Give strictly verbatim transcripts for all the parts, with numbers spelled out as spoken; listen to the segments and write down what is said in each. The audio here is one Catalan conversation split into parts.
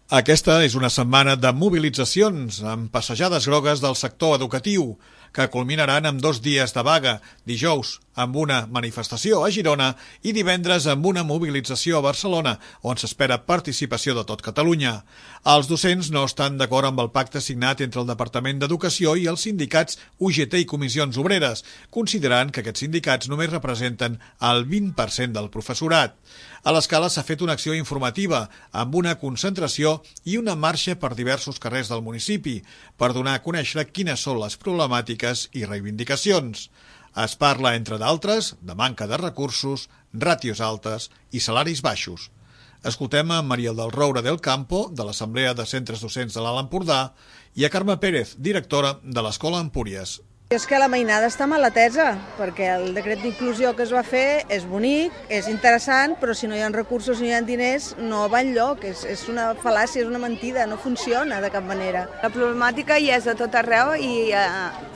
Aquesta és una setmana de mobilitzacions amb passejades grogues del sector educatiu, que culminaran amb dos dies de vaga, dijous amb una manifestació a Girona i divendres amb una mobilització a Barcelona, on s'espera participació de tot Catalunya. Els docents no estan d'acord amb el pacte signat entre el Departament d'Educació i els sindicats U G T i Comissions Obreres, considerant que aquests sindicats només representen el vint per cent del professorat. A l'Escala s'ha fet una acció informativa amb una concentració i una marxa per diversos carrers del municipi per donar a conèixer quines són les problemàtiques i reivindicacions. Es parla, entre d'altres, de manca de recursos, ràtios altes i salaris baixos. Escoltem a Maria del Roure del Campo, de l'Assemblea de Centres Docents de l'Alt Empordà, i a Carme Pérez, directora de l'Escola Empúries. És que la mainada està mal atesa, perquè el decret d'inclusió que es va fer és bonic, és interessant, però si no hi ha recursos ni hi ha diners no va enlloc, és, és una fal·làcia, és una mentida, no funciona de cap manera. La problemàtica hi és a tot arreu i eh,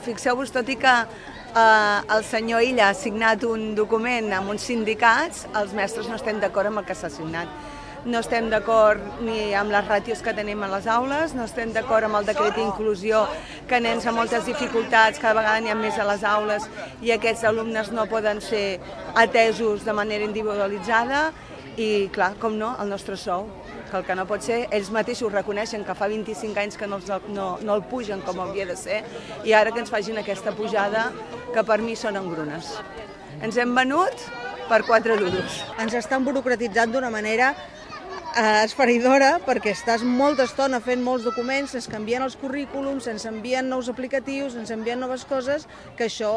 fixeu-vos, tot i que eh, el senyor Illa ha signat un document amb uns sindicats, els mestres no estem d'acord amb el que s'ha signat. No estem d'acord ni amb les ràtios que tenim a les aules, no estem d'acord amb el decret d'inclusió, que nens amb moltes dificultats cada vegada n'hi ha més a les aules i aquests alumnes no poden ser atesos de manera individualitzada i, clar, com no, el nostre sou, que el que no pot ser, ells mateixos reconeixen que fa vint-i-cinc anys que no, els, no, no el pugen com hauria de ser i ara que ens facin aquesta pujada que per mi són engrunes. Ens hem venut per quatre duros. Ens estan burocratitzant d'una manera esfereïdora, perquè estàs molta estona fent molts documents, se'ns canvien els currículums, se'ns envien nous aplicatius, se'ns envien noves coses, que això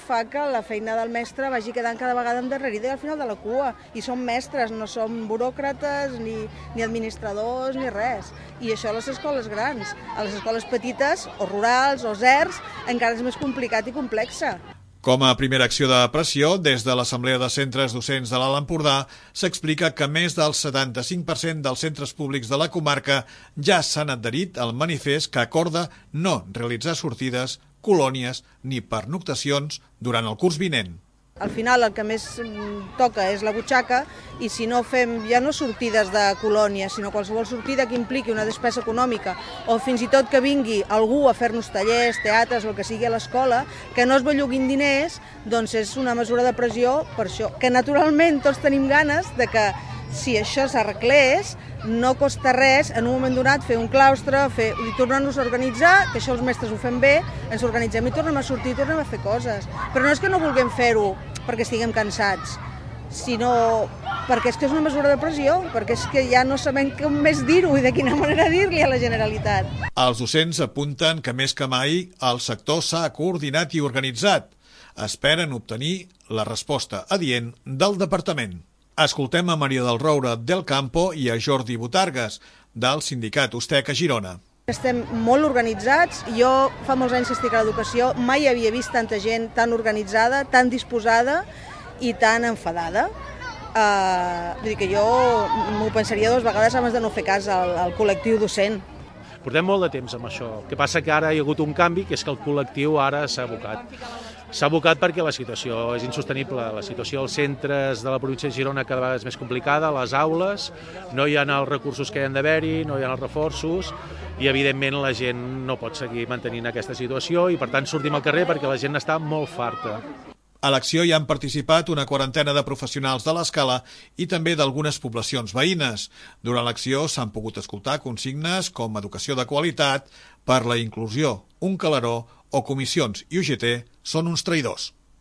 fa que la feina del mestre vagi quedant cada vegada endarrerida i al final de la cua. I som mestres, no som buròcrates, ni, ni administradors, ni res. I això a les escoles grans. A les escoles petites, o rurals, o zers, encara és més complicat i complexa. Com a primera acció de pressió, des de l'Assemblea de Centres Docents de l'Alt Empordà s'explica que més del setanta-cinc per cent dels centres públics de la comarca ja s'han adherit al manifest que acorda no realitzar sortides, colònies ni pernoctacions durant el curs vinent. Al final el que més toca és la butxaca i si no fem ja no sortides de colònia, sinó qualsevol sortida que impliqui una despesa econòmica o fins i tot que vingui algú a fer-nos tallers, teatres o el que sigui a l'escola, que no es belluguin diners, doncs és una mesura de pressió per això. Que naturalment tots tenim ganes de que si això s'arreglés, no costa res en un moment donat fer un claustre, fer, i tornar-nos a organitzar, que això els mestres ho fem bé, ens organitzem i tornem a sortir, i tornem a fer coses. Però no és que no vulguem fer-ho perquè estiguem cansats, sinó perquè és que és una mesura de pressió, perquè és que ja no sabem com més dir-ho i de quina manera dir-li a la Generalitat. Els docents apunten que més que mai el sector s'ha coordinat i organitzat. Esperen obtenir la resposta adient del departament. Escoltem a Maria del Roure del Campo i a Jordi Botargas, del sindicat Ustec a Girona. Estem molt organitzats. Jo fa molts anys que estic a l'educació, mai havia vist tanta gent tan organitzada, tan disposada i tan enfadada. Uh, vull dir que jo m'ho pensaria dues vegades abans de no fer cas al, al col·lectiu docent. Portem molt de temps amb això. El que passa que ara hi ha hagut un canvi, que és que el col·lectiu ara s'ha abocat. S'ha abocat perquè la situació és insostenible. La situació als centres de la província de Girona cada vegada és més complicada, a les aules, no hi ha els recursos que hi ha d'haver-hi, no hi ha els reforços i, evidentment, la gent no pot seguir mantenint aquesta situació i, per tant, sortim al carrer perquè la gent està molt farta. A l'acció hi han participat una quarantena de professionals de l'Escala i també d'algunes poblacions veïnes. Durant l'acció s'han pogut escoltar consignes com educació de qualitat, per la inclusió, un calaró o comissions i U G T són uns traïdors.